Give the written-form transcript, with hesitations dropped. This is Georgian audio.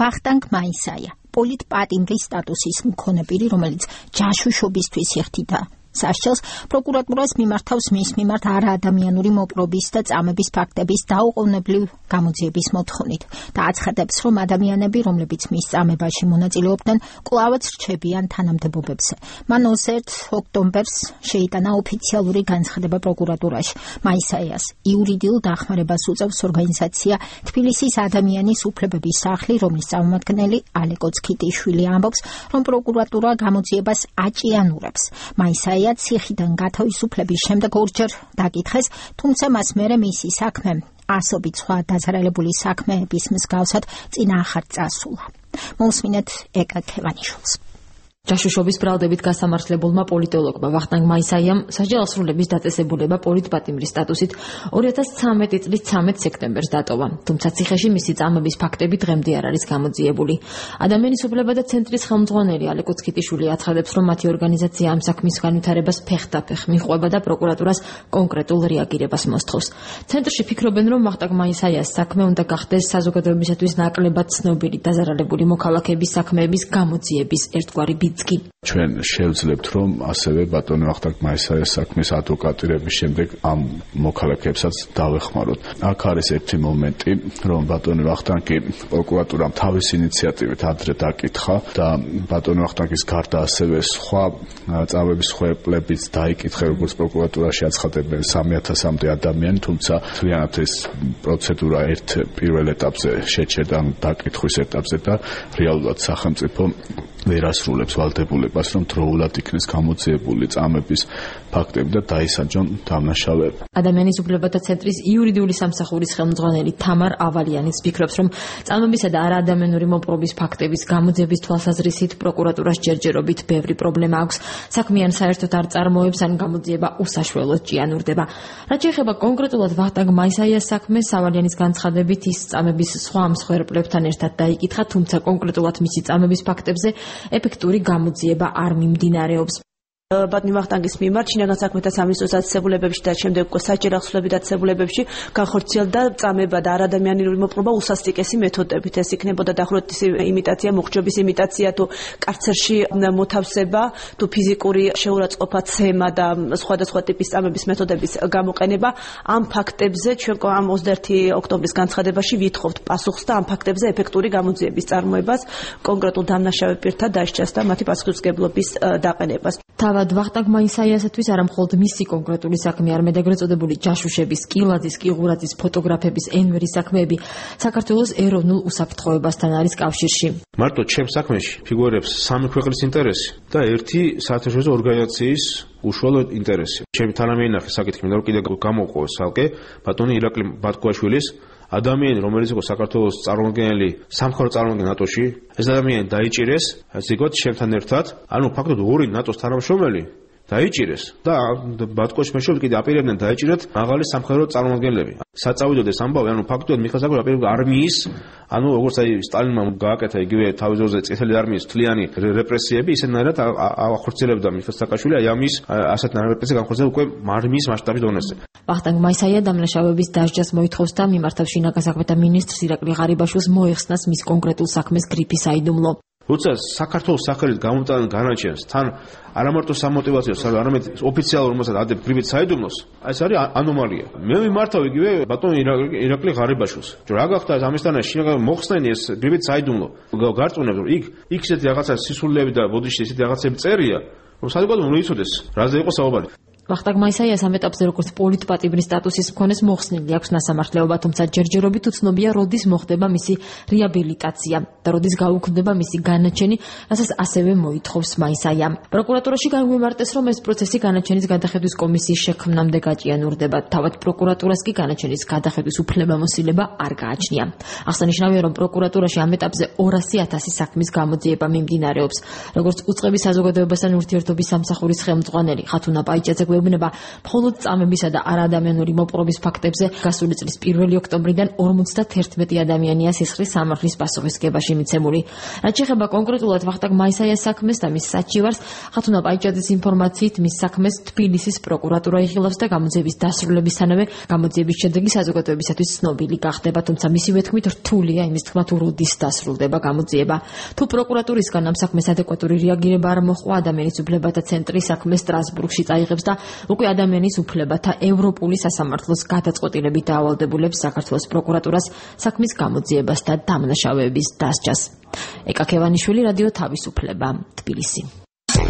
ვახტანგ მაისაია, პოლიტპატიმრის სტატუსის მქონე პირი, რომელიც ჯაშუშობისთვის იხდიდა სასჯელს, პროკურატურას მიმართავს მის მიმართ არაადამიანური მოპყრობის და წამების ფაქტების დაუყოვნებლივ გამოძიების მოთხოვნით და აცხადებს, რომ ადამიანები, რომლებიც მის წამებაში მონაწილეობდნენ, კვლავაც რჩებიან თანამდებობებზე. მან 21 ოქტომბერს შეიტანა ოფიციალური განცხადება პროკურატურაში. მაისაიას იურიდიულ დახმარებას უწევს ორგანიზაცია თბილისის ადამიანის უფლებების სახლი, რომლის წარმომადგენელი ალეკო ცქიტიშვილი ამბობს, რომ პროკურატურა გამოძიებას აჭიანურებს. მაისაია ციხიდან გათავისუფლების შემდეგ ორჯერ დაკითხეს, თუმცა მას მერე მისი საქმე ასობით სხვა დაზარალებული საქმეების მსგავსად წინააღმდეგ წასულა. მოусმინეთ ეკა ქევანიშვილს. ჯაშუშობის ბრალდებით გასამართლებულმა პოლიტოლოგმა ვახტანგ მაისაიამ სასჯელოსრულების დაწესებულება პოლიტპატიმრის სტატუსით 2013 წლის 13 სექტემბერს დატოვა, თუმცა ციხეში მისი წამების ფაქტები დღემდე არ არის გამოძიებული. ადამიანის უფლებათა ცენტრის ხელმძღვანელი ალეკო ცქიტიშვილი აცხადებს, რომ მათი ორგანიზაცია ამ საქმის განვითარებას ფეხდაფეხ მიჰყვება და პროკურატურას კონკრეტულ რეაგირებას მოსთხოვს. ცენტრში ფიქრობენ, რომ ვახტანგ მაისაიას საქმე უნდა გახდეს საზოგადოებისათვის ნაკლებად ცნობილი დაზარალებული მოქალაქეების საქმეების გამოძიების ერთგვარი ჩვენ შევძლებთ, რომ ასევე ბატონი ვახტანგ მაისაიას საქმის ადვოკატირების შემდეგ ამ მოქალაქეებსაც დავეხმაროთ. აქ არის ერთი მომენტი, რომ ბატონი ვახტანგი პროკურატურამ თავის ინიციატივით ადრე დაკითხა და ბატონი ვახტანგის გარდა ასევე სხვა წამების ხმებლებიც დაიკითხა, როგორც პროკურატურაში აცხადებენ 3000-მდე ადამიანი, თუმცა მთლიანად ეს პროცედურა პირველ ეტაპზე შეჩერდა, დაკითხვის ეტაპზე და რეალურად სახელმწიფო ვერ ასრულებს ვალდებულებას, რომ დროულად იქნეს გამოძიებული წამების ფაქტები და დაისაჯონ დამნაშავეები. ადამიანის უფლებათა ცენტრის იურიდიული სამსახურის ხელმძღვანელი თამარ ავალიანიც ფიქრობს, რომ წამებისა და არაადამიანური მოპყრობის ფაქტების გამოძიების თვალსაზრისით პროკურატურას ჯერჯერობით ბევრი პრობლემა აქვს. საქმიან საერთოდ არ წარმოებს, ან გამოძიება უსაშველოდ ჭიანურდება. რაც შეეხება კონკრეტულად ვახტანგ მაისაიას საქმეს, ავალიანის განცხადებით ის წამების სხვა მსხვერპლებთან ერთად დაიკითხა, თუმცა კონკრეტულად მისი წამების ფაქტებზე ეფექტური გამოძიება არ მიმდინარეობს. ბატონი ვახტანგის მიმართ შინაგან საქმეთა სამინისტროს დაწესებულებებში და შემდეგ უკვე საჯარო ახსნილების დაწესებულებებში განხორციელდა წამება და არადამიანური მოპყრობა უსასტიკესი მეთოდებით. ეს იქნებოდა დახურების იმიტაცია, მოხჯობის იმიტაცია, თუ კარცერში მოთავსება, თუ ფიზიკური შეურაცხყოფა, ცემა და სხვადასხვა ტიპის წამების მეთოდების გამოყენება. ამ ფაქტებზე ჩვენ ამ 21 ოქტომბრის განცხადებაში ვითხოვთ პასუხს და ამ ფაქტებზე ეფექტური გამოძიების წარმოებას, კონკრეტულ დამნაშავე პირთა დასჯას და მათი პასუხისმგებლობის დაყენებას. თავად ვახტანგ მაისაიასათვის არა მხოლოდ მისი კონკრეტული საქმე, არამედ ეგრეთ წოდებული ჯაშუშების, კილაძის, კიღურაძის, ფოტოგრაფების, ენვერის საქმეები საქართველოს ეროვნულ უსაფრთხოებასთან არის კავშირში. მარტო ჩემ საქმეში ფიგურებს სამი ქვეყნის ინტერესი და ერთი საერთაშორისო ორგანიზაციის უშუალო ინტერესი. ჩემი თანამეინახე საკითხი მინდა რომ კიდე გამოვყოს ალკე ბატონი ირაკლი ბატკოაშვილის ადამიანი, რომელიც იყო საქართველოს წარმომადგენელი, სამხედრო წარმომადგენელი ნატოში, ეს ადამიანი დაიჭირეს, ზოგადად ჩემთან ერთად, ანუ ფაქტობრივად ორი ნატოს თანამშრომელი დაიჭირეს და ბატკოაშვილის მეშვეობით კიდე აპირებდნენ დაიჭირათ მაღალი სამხედრო წარმომადგენლები. საწავიდოდ ეს ამბავი, ანუ ფაქტობრივად მიხასაგო აპირებდა არმიის, ანუ როგორც აი სტალინმა გააკეთა იგივე თავის ძროზე წითელი არმიის მთლიანი რეპრესიები, ისედნაირად ახორციელებდა მიხეილ სააკაშვილი აი ამის ასეთ რეპრესიას განხორციელდა უკვე არმიის მასშტაბის დონეზე. ვახტანგ მაისაია დამნაშავეების დასჯას მოითხოვს და მიმართავს შინაგან საქმეთა მინისტრს ირაკლი ღარიბაშვილს მოეხსნას მის კონკრეტულ საქმეს გრიფი საიდუმლო. როცა საქართველოს სახელით გამოტანა განაჩენს თან არამარტო სამოტივაციო, არამედ ოფიციალურ მასად ადებ გრიფით საიდუმლოს, ეს არის ანომალია. მე მიმართავ იგივე ბატონ ირაკლი ღარიბაშვილს. რა გახდა ამისთანა შინაგან მოხსნენი ეს გრიფით საიდუმლო. გარწმუნებს რომ იქ ისეთი რაღაცა სისულელები და ბოდიში ისეთი რაღაცები წერია, რომ საზოგადოებამ უნდა იცოდეს, რაზე იყო საუბარი. ვახტანგ მაისაიას ამ ეტაპზე როგორც პოლიტპატიმრის სტატუსის მქონეს მოხსნილი აქვს ნასამართლეობა, თუმცა ჯერჯერობით უცნობია, როდის მოხდება მისი რეაბილიტაცია და როდის გაუქმდება მისი განაჩენი, რასაც ასევე მოითხოვს მაისაია. პროკურატურაში გაგვიმარტეს, რომ ეს პროცესი განაჩენის გადახედვის კომისიის შექმნამდე გაჭიანურდება. თავად პროკურატურას კი განაჩენის გადახედვის უფლებამოსილება არ გააჩნია. აღსანიშნავია, რომ პროკურატურაში ამ ეტაპზე 200,000 საქმის გამოძიება მიმდინარეობს. როგორც უწყების საზოგადოებასთან ურთიერთობის სამსახურის ხელმძღვანელი ხათუნა პაიჭაძე ეუბნება მხოლოდ წამებისა და არაადამიანური მოპყრობის ფაქტებზე გასული წლის 1 ოქტომბრიდან 51 ადამიანია სისხლის სამართლის პასუხისგებაში მიცემული. რაც შეეხება კონკრეტულად ვახტანგ მაისაიას საქმეს და მის საჩივარს, ხათუნა პაიჭაძის ინფორმაციით მის საქმეს თბილისის პროკურატურა იხილავს და გამოძიების დასრულებისთანავე გამოძიების შედეგი საზოგადოებისათვის ცნობილი გახდება, თუმცა მისივე თქმით რთულია იმის თქმა თუ როდის დასრულდება გამოძიება. თუ პროკურატურისგან ამ საქმეს ადეკვატური რეაგირება არ მოხდა, ადამიანის უფლებათა ცენტრი საქმეს სტრასბურგში წაიღებს და უკვე ადამიანის უფლებათა ევროპული სასამართლოს გადაწყვეტილებით დაავალდებულებს საქართველოს პროკურატურას საქმის გამოძიებას და დამნაშავეების დასჯას. ეკა ქევანიშვილი, რადიო თავისუფლება, თბილისი.